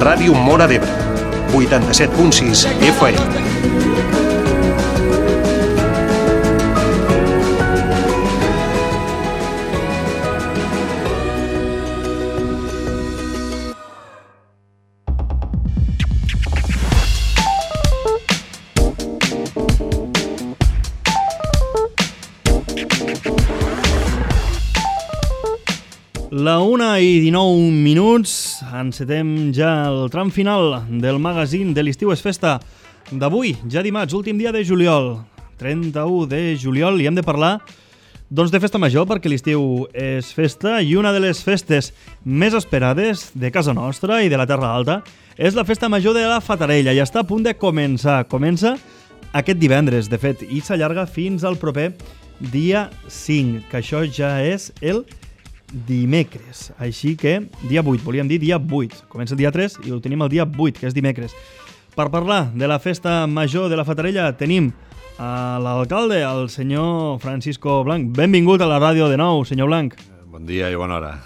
Ràdio Móra d'Ebre, 87.6 FM. La 1:19, encetem ja el tram final del magazín de l'Estiu és Festa d'avui, ja dimarts, últim dia de juliol, 31 de juliol, i hem de parlar doncs, de festa major, perquè l'estiu és festa i una de les festes més esperades de casa nostra i de la Terra Alta és la festa major de la Fatarella i està a punt de començar. Comença aquest divendres, de fet, i s'allarga fins al proper dia 5, que això ja és el dimecres, així que dia 8, volíem dir dia 8, comença el dia 3 i ho tenim el dia 8, que és dimecres. Per parlar de la festa major de la Fatarella tenim a l'alcalde, el senyor Francisco Blanc. Benvingut a la ràdio de nou, senyor Blanc. Bon dia i bona hora.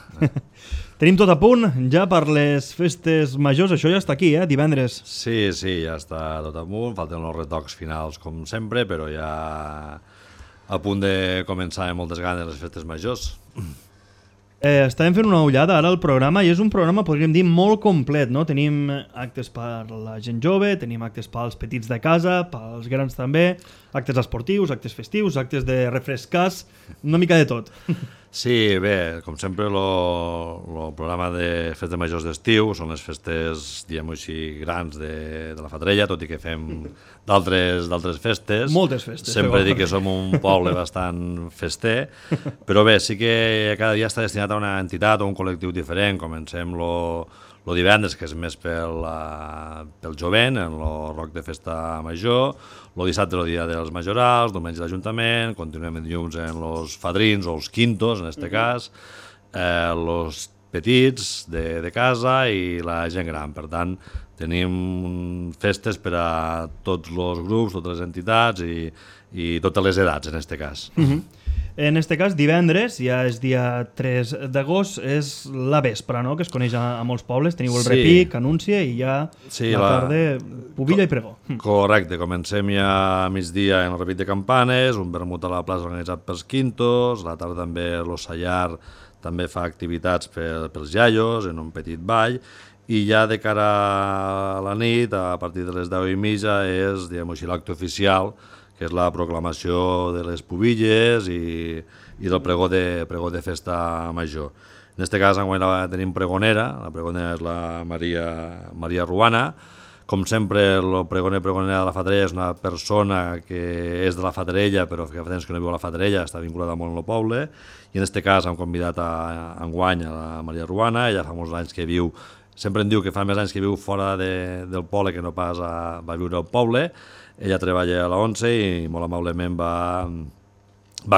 Tenim tot a punt ja per les festes majors, això ja està aquí, divendres. Sí, ja està tot a punt, falten els retocs finals com sempre, però ja a punt de començar amb moltes ganes les festes majors. Estàvem fent una ullada ara al programa i és un programa, podríem dir, molt complet, no? Tenim actes per la gent jove, tenim actes pels petits de casa, pels grans també, actes esportius, actes festius, actes de refrescars, una mica de tot. Sí, bé, com sempre, el programa de festes majors d'estiu són les festes, diguem-ho així, grans de la Fatarella, tot i que fem d'altres festes. Moltes festes. Sempre dic que som un poble bastant fester, però bé, sí que cada dia està destinat a una entitat o un col·lectiu diferent. Comencem el divendres, que és més pel jovent, en el rock de festa major, el dissabte el dia dels majorals, diumenge l'Ajuntament, continuem dilluns en els fadrins o els quintos, en aquest cas, els petits de casa i la gent gran. Per tant, tenim festes per a tots els grups, totes les entitats i totes les edats, en aquest cas. En aquest cas, divendres, ja és dia 3 d'agost, és la vespra, no?, que es coneix a molts pobles. Teniu el repic, anúncia i ja la tarda, pubilla i pregó. Correcte, comencem ja a migdia en el repic de campanes, un vermut a la plaça organitzat pels quintos, la tarda també l'Ossallar també fa activitats pels iaios, en un petit ball, i ja de cara a la nit, a partir de les 10:30, és, diguem-ho així, l'acte oficial, que és la proclamació de les pubilles i del pregó de festa major. En aquest cas, enguany tenim pregonera, la pregonera és la Maria Ruana. Com sempre, el pregonera de la Fatarella és una persona que és de la Fatarella, però que fa temps que no viu a la Fatarella, està vinculada molt amb el poble, i en aquest cas hem convidat enguany a la Maria Ruana. Ella fa molts anys que viu, sempre em diu que fa més anys que viu fora del poble que no pas va viure al poble. Ella treballa a la ONCE i molt amablement va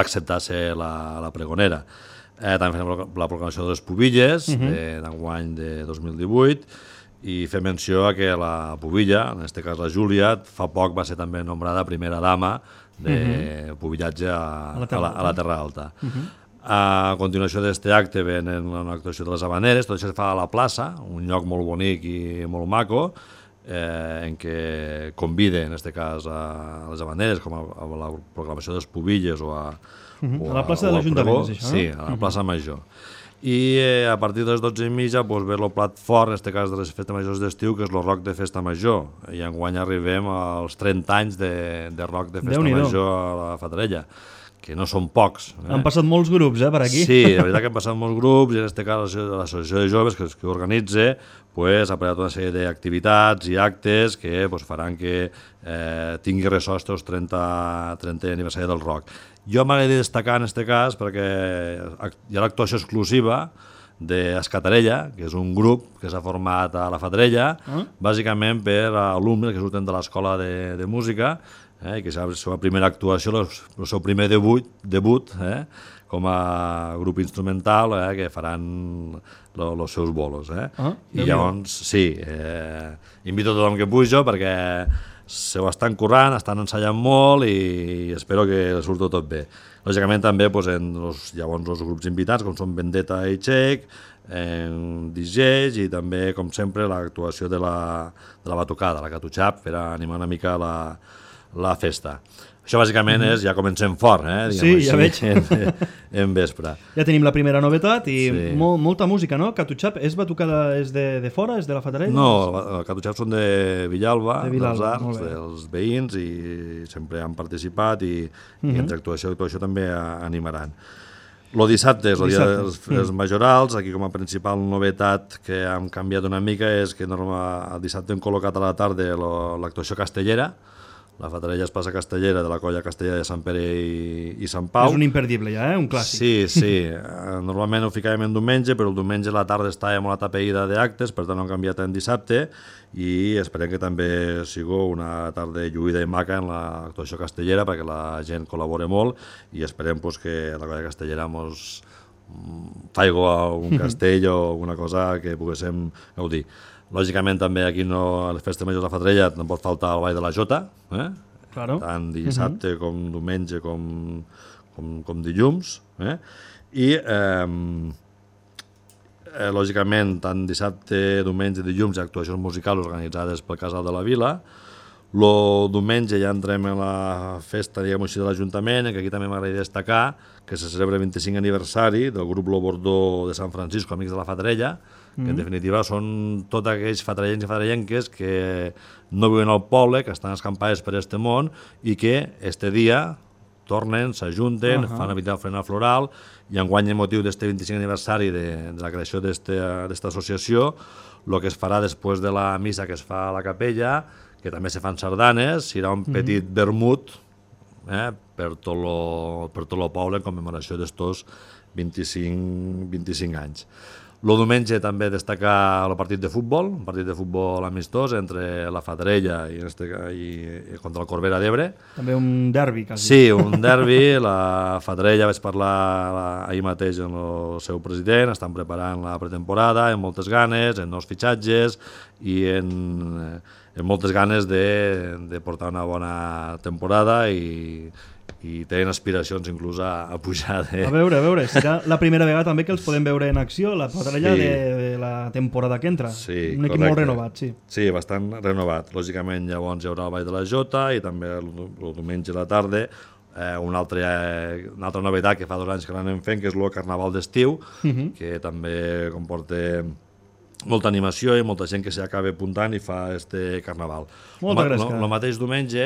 acceptar ser la pregonera. També fem la proclamació de les pubilles d'enguany de 2018 i fem menció a que la pubilla, en aquest cas la Júlia, fa poc va ser també nombrada primera dama de pubillatge a la Terra Alta. A continuació d'aquest acte venen una actuació de les Habaneres, tot això es fa a la plaça, un lloc molt bonic i molt maco, en què convida, en aquest cas, a les Habaneres, com a la proclamació de les pubilles o a la plaça de l'Ajuntament, és això, no? Sí, a la plaça major. I a partir de les 12:30 ve el plat fort, en aquest cas de les festes majors d'estiu, que és el rock de festa major. I enguany arribem als 30 anys de rock de festa major a la Fatarella, que no són pocs. Han passat molts grups, per aquí. Sí, la veritat que han passat molts grups, i en aquest cas l'associació de joves que organitza ha preparat una sèrie d'activitats i actes que faran que tingui ressò el 30è aniversari del rock. Jo m'agradaria destacar en aquest cas perquè hi ha l'actuació exclusiva d'Escatarella, que és un grup que s'ha format a la Fatarella, bàsicament per alumnes que surten de l'escola de música, i que és la seva primera actuació, el seu primer debut com a grup instrumental, que faran els seus bolos. I llavors, sí, invito a tothom que pujo perquè se ho estan currant, estan ensaiant molt i espero que surti tot bé. Lògicament també llavors els grups invitats, com són Vendetta i Txec, DJs i també, com sempre, l'actuació de la batucada, la Catuchap, per animar una mica la festa. Això bàsicament és, ja comencem fort, sí, ja veig. En vespre. Ja tenim la primera novetat i molta música, no? Catuchap és batucada, és de fora, és de la Fatarella? No, Catuchap són de Villalba, dels Arcs, dels veïns, i sempre han participat i entre actuació i actuació també animaran. El dissabte és el dia dels majorals. Aquí com a principal novetat que hem canviat una mica és que el dissabte hem col·locat a la tarda l'actuació castellera. La Fatarella es passa castellera de la colla castellera de Sant Pere i Sant Pau. És un imperdible ja, un clàssic. Sí. Normalment ho ficàvem en diumenge, però el diumenge a la tarda estava molt atapeïda d'actes, per tant ho hem canviat en dissabte i esperem que també sigui una tarda lluïda i maca en l'actuació castellera perquè la gent col·labora molt i esperem que la colla castellera ens faci un castell o alguna cosa que poguéssim gaudir. Lògicament també aquí a les festes majors de la Fatarella no pot faltar el Ball de la Jota, tant dissabte com diumenge com dilluns. I lògicament tant dissabte, diumenge i dilluns hi ha actuacions musicals organitzades pel Casal de la Vila. El diumenge ja entrem en la festa, diguem-ho així, de l'Ajuntament, que aquí també m'agradaria destacar que se celebra el 25 aniversari del grup Lo Bordó de Sant Francisco, Amics de la Fatarella, que en definitiva són tots aquells fatarellencs i fatarellenques que no viuen al poble, que estan escampades per este món i que este dia tornen, s'ajunten, fan una ofrena floral i enguany el motiu d'este 25 aniversari de la creació d'esta associació, el que es farà després de la missa que es fa a la capella, que també se fan sardanes, serà un petit vermut per tot el poble en commemoració d'estos 25 anys. El diumenge també destacar el partit de futbol, un partit de futbol amistós entre la Fatarella i contra el Corbera d'Ebre. També un derbi, quasi. Sí, un derbi. La Fatarella, vaig parlar ahir mateix amb el seu president, estan preparant la pretemporada amb moltes ganes, en nous fitxatges i en moltes ganes de portar una bona temporada i tenen aspiracions inclús a pujar. A veure, serà la primera vegada també que els podem veure en acció, la Fatarella de la temporada que entra. Sí, un equip molt renovat, sí. Sí, bastant renovat. Lògicament llavors hi haurà el Ball de la Jota i també el diumenge a la tarda una altra novetat que fa 2 anys que l'anem fent, que és el Carnaval d'estiu, que també comporta molta animació i molta gent que s'acaba apuntant i fa este carnaval. El mateix diumenge,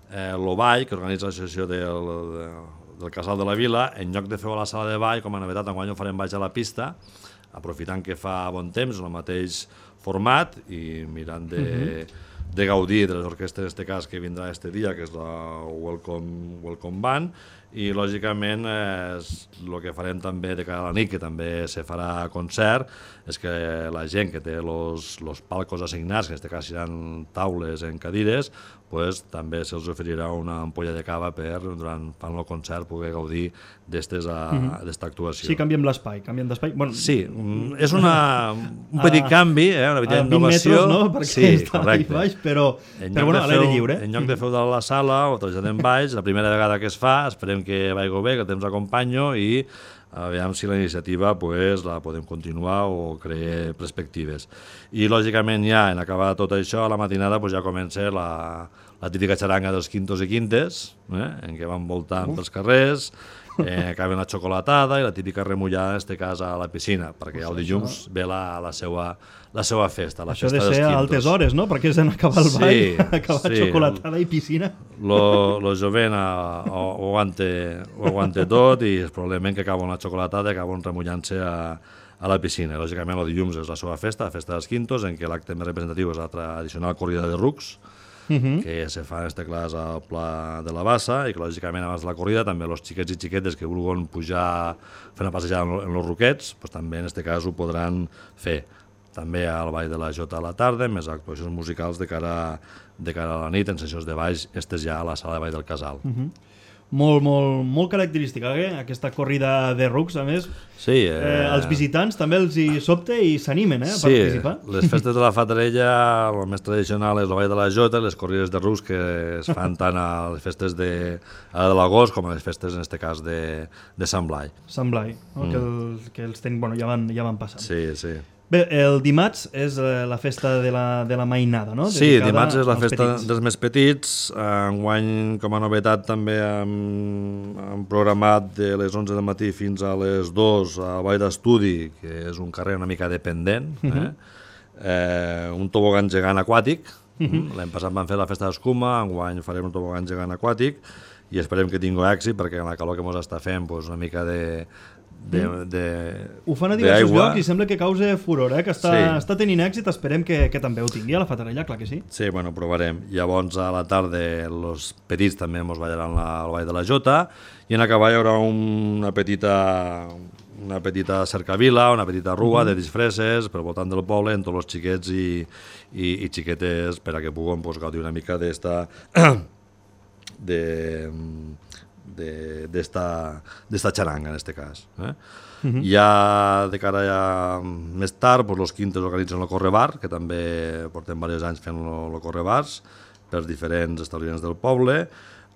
el ball, que organitza l'associació del Casal de la Vila, en lloc de fer-ho a la sala de ball, com a novetat, enguany ho farem baix a la pista, aprofitant que fa bon temps, el mateix format, i mirant de gaudir de les orquestres, en aquest cas, que vindrà este dia, que és la Welcome Band, i lògicament el que farem també de cara a la nit, que també se farà concert, és que la gent que té els palcos assignats, que en aquest cas seran taules en cadires, pues, també se'ls oferirà una ampolla de cava per, durant fan el concert, poder gaudir d'esta actuació. Sí, canviem l'espai, Bueno, sí, és un petit canvi, una petita innovació. 20 metres, no?, perquè està ahí baix, però bueno, a l'aire lliure. En lloc de fer-ho de la sala o traslladem baix, la primera vegada que es fa, esperem que vagi bé, que el temps acompanyo i aviam si la iniciativa la podem continuar o crear perspectives. I lògicament ja en acabar tot això, a la matinada ja comença la típica xaranga dels quintos i quintes, en què van voltant pels carrers, acaben la xocolatada i la típica remullada, en aquest cas a la piscina, perquè el dilluns ve la seva festa, la això festa dels quintos. Això de ser a altes hores, no? Perquè és acabar el ball, acabar xocolatada i piscina. Lo jovent ho aguanta tot i probablement que acaben la xocolatada i acaben remullant-se a la piscina. Lògicament el dilluns és la seva festa, la festa dels quintos, en què l'acte més representatiu és la tradicional corrida de rucs, que se fa en aquest cas al Pla de la Bassa i que lògicament abans de la corrida també els xiquets i xiquetes que vulguin pujar, fer una passejada en els ruquets, també en aquest cas ho podran fer. També al Ball de la Jota a la tarda, més actuacions musicals de cara a la nit, en sessions de baix, estes ja a la sala de ball del Casal. molt característica, aquesta corrida de rucs, a més. Sí, els visitants també els hi sobte i s'animen a participar. Sí, les festes de la Fatarella, el més tradicional és el Ball de la Jota, les corrides de rucs que es fan tant a les festes de l'agost com a les festes, en aquest cas, de Sant Blai. Sant Blai, no? Que els tenen, bueno, ja van passant. Sí, sí. Bé, el dimarts és la festa de la mainada, no? Sí, dimarts és la festa dels més petits. Enguany, com a novetat, també hem programat de les 11 del matí fins a les 2 a Vall d'Estudi, que és un carrer una mica dependent, un tobogan gegant aquàtic. L'any passat vam fer la festa d'escuma, enguany farem un tobogan gegant aquàtic i esperem que tingui èxit perquè en la calor que ens està fent una mica ho fan a diversos llocs i sembla que causa furor, que està tenint èxit. Esperem que també ho tingui a la Fatarella, clar que sí. Sí, bueno, provarem. Llavors a la tarda els petits també ens ballaran al Ball de la Jota i en acabar hi haurà una petita cercavila, una petita rua de disfresses pel voltant del poble amb tots els xiquets i xiquetes per a que puguin gaudir una mica d'esta xaranga, en aquest cas. Ja de cara més tard, els quintes organitzen el correbar, que també portem diversos anys fent el correbars per diferents establiments del poble.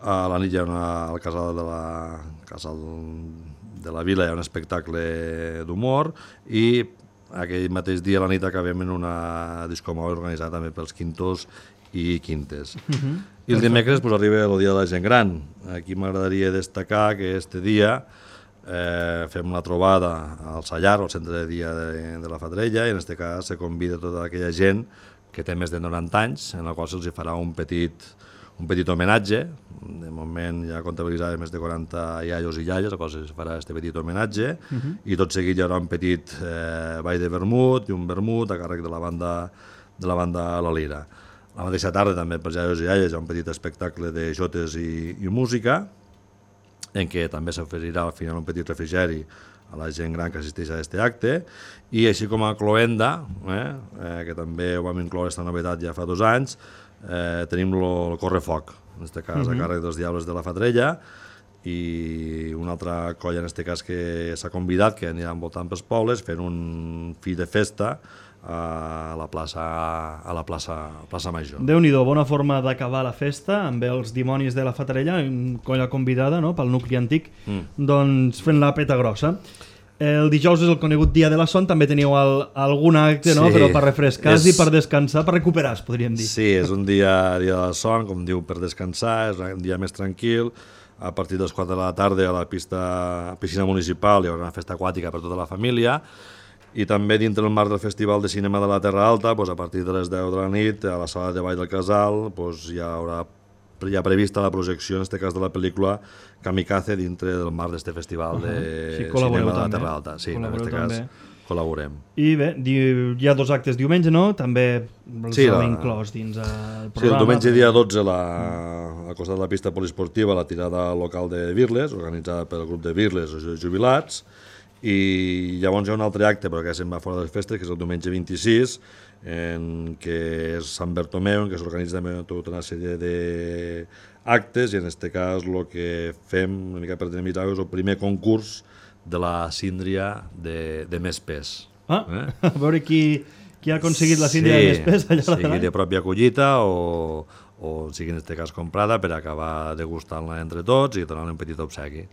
A la nit hi ha al casal de la vila hi ha un espectacle d'humor i aquell mateix dia a la nit acabem en una discomòbil organitzada també pels quintos i quintes. I el dimecres arriba el dia de la gent gran. Aquí m'agradaria destacar que este dia fem una trobada al Sallar, al centre de dia de la Fatarella, i en aquest cas se convida tota aquella gent que té més de 90 anys, en la qual se'ls farà un petit homenatge. De moment ja comptabilitzava més de 40 iaios i iaies, a qual se'ls farà aquest petit homenatge, i tot seguit hi haurà un petit ball de vermut i un vermut a càrrec de la banda La Lira. La mateixa tarda també per iaios i iaies hi ha un petit espectacle de jotes i música, en què també s'oferirà al final un petit refrigeri a la gent gran que assisteix a aquest acte, i així com a cloenda, que també ho vam incloure aquesta novetat ja fa 2 anys, tenim el correfoc, en aquest cas a càrrec dels Diables de la Fatarella, i una altra colla en aquest cas que s'ha convidat, que anirà voltant pels pobles fent un fi de festa a la plaça Major. Déu-n'hi-do, bona forma d'acabar la festa amb els dimonis de la Fatarella, una colla convidada pel nucli antic, doncs fent la peta grossa. El dijous és el conegut dia de la son, també teniu algun acte, no? Però per refrescar-se i per descansar, per recuperar, podríem dir. Sí, és un dia de la son, com diu, per descansar, és un dia més tranquil. A partir de les 4 de la tarda a la piscina municipal hi haurà una festa aquàtica per tota la família, i també dintre del marc del Festival de Cinema de la Terra Alta, a partir de les 10 de la nit, a la sala de ball del Casal, hi haurà ja prevista la projecció, en aquest cas de la pel·lícula Kamikaze, dintre del marc d'aquest Festival de Cinema de la Terra Alta. Sí, en aquest cas col·laborem. I bé, hi ha 2 actes diumenge, no? També els heu inclòs dins el programa. Sí, el diumenge dia 12, al costat de la pista poliesportiva, la tirada local de Virles, organitzada pel grup de Virles, els jubilats, i llavors hi ha un altre acte, però que se'n va fora de les festes, que és el diumenge 26, que és Sant Bertomeu, en què s'organitza tota una sèrie d'actes, i en aquest cas el que fem, una mica per dinamitzar, és el primer concurs de la síndria de més pes. A veure qui ha aconseguit la síndria de més pes allà sigui de pròpia collita o sigui en aquest cas comprada, per acabar degustant-la entre tots i donar-li un petit obsequi.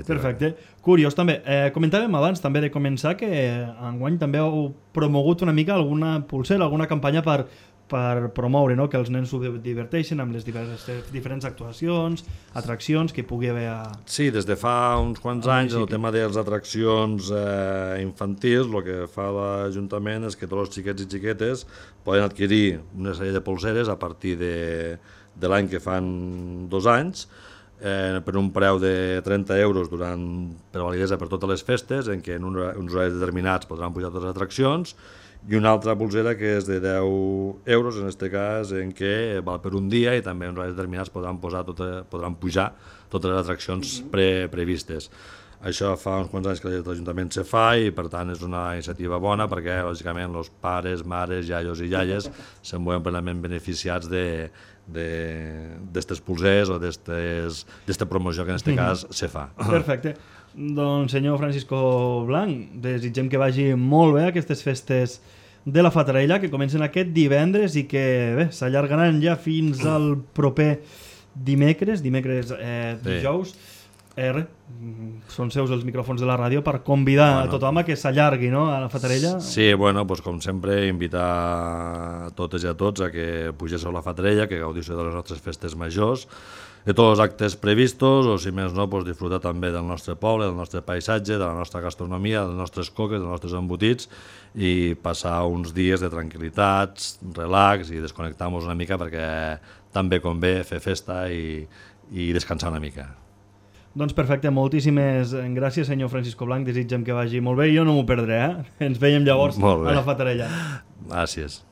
Perfecte. Curiós també. Comentàvem abans també de començar que enguany també heu promogut una mica alguna pulsera, alguna campanya per promoure, que els nens s'ho diverteixen amb les diferents actuacions, atraccions que hi pugui haver Sí, des de fa uns quants anys el tema de les atraccions infantils, el que fa l'Ajuntament és que tots els xiquets i xiquetes poden adquirir una sèrie de pulseres a partir de l'any que fan 2 anys, per un preu de 30 euros per validesa per totes les festes, en què en uns horaris determinats podran pujar totes les atraccions, i una altra pulsera que és de 10 euros, en aquest cas, en què val per un dia i també en horaris determinats podran pujar totes les atraccions previstes. Això fa uns quants anys que l'Ajuntament se fa i per tant és una iniciativa bona perquè lògicament els pares, mares, iaios i iaies se'n veuen plenament beneficiats d'estes pulsers o d'esta promoció que en aquest cas se fa. Perfecte. Doncs senyor Francisco Blanc, desitgem que vagi molt bé aquestes festes de la Fatarella, que comencen aquest divendres i que bé, s'allargaran ja fins al proper dijous. Són seus els micròfons de la ràdio per convidar a tothom a que s'allargui, no?, a la Fatarella. Sí, bueno, doncs com sempre, invitar a totes i a tots a que pugéssiu a la Fatarella, que gaudissiu de les nostres festes majors, de tots els actes previstos, o si més no, doncs disfrutar també del nostre poble, del nostre paisatge, de la nostra gastronomia, de les nostres coques, dels nostres embotits, i passar uns dies de tranquil·litats, relax i desconnectar-nos una mica perquè també convé fer festa i descansar una mica. Doncs perfecte, moltíssimes gràcies, senyor Francisco Blanc, desitgem que vagi molt bé, jo no m'ho perdré, Ens veiem llavors a la Fatarella. Gràcies.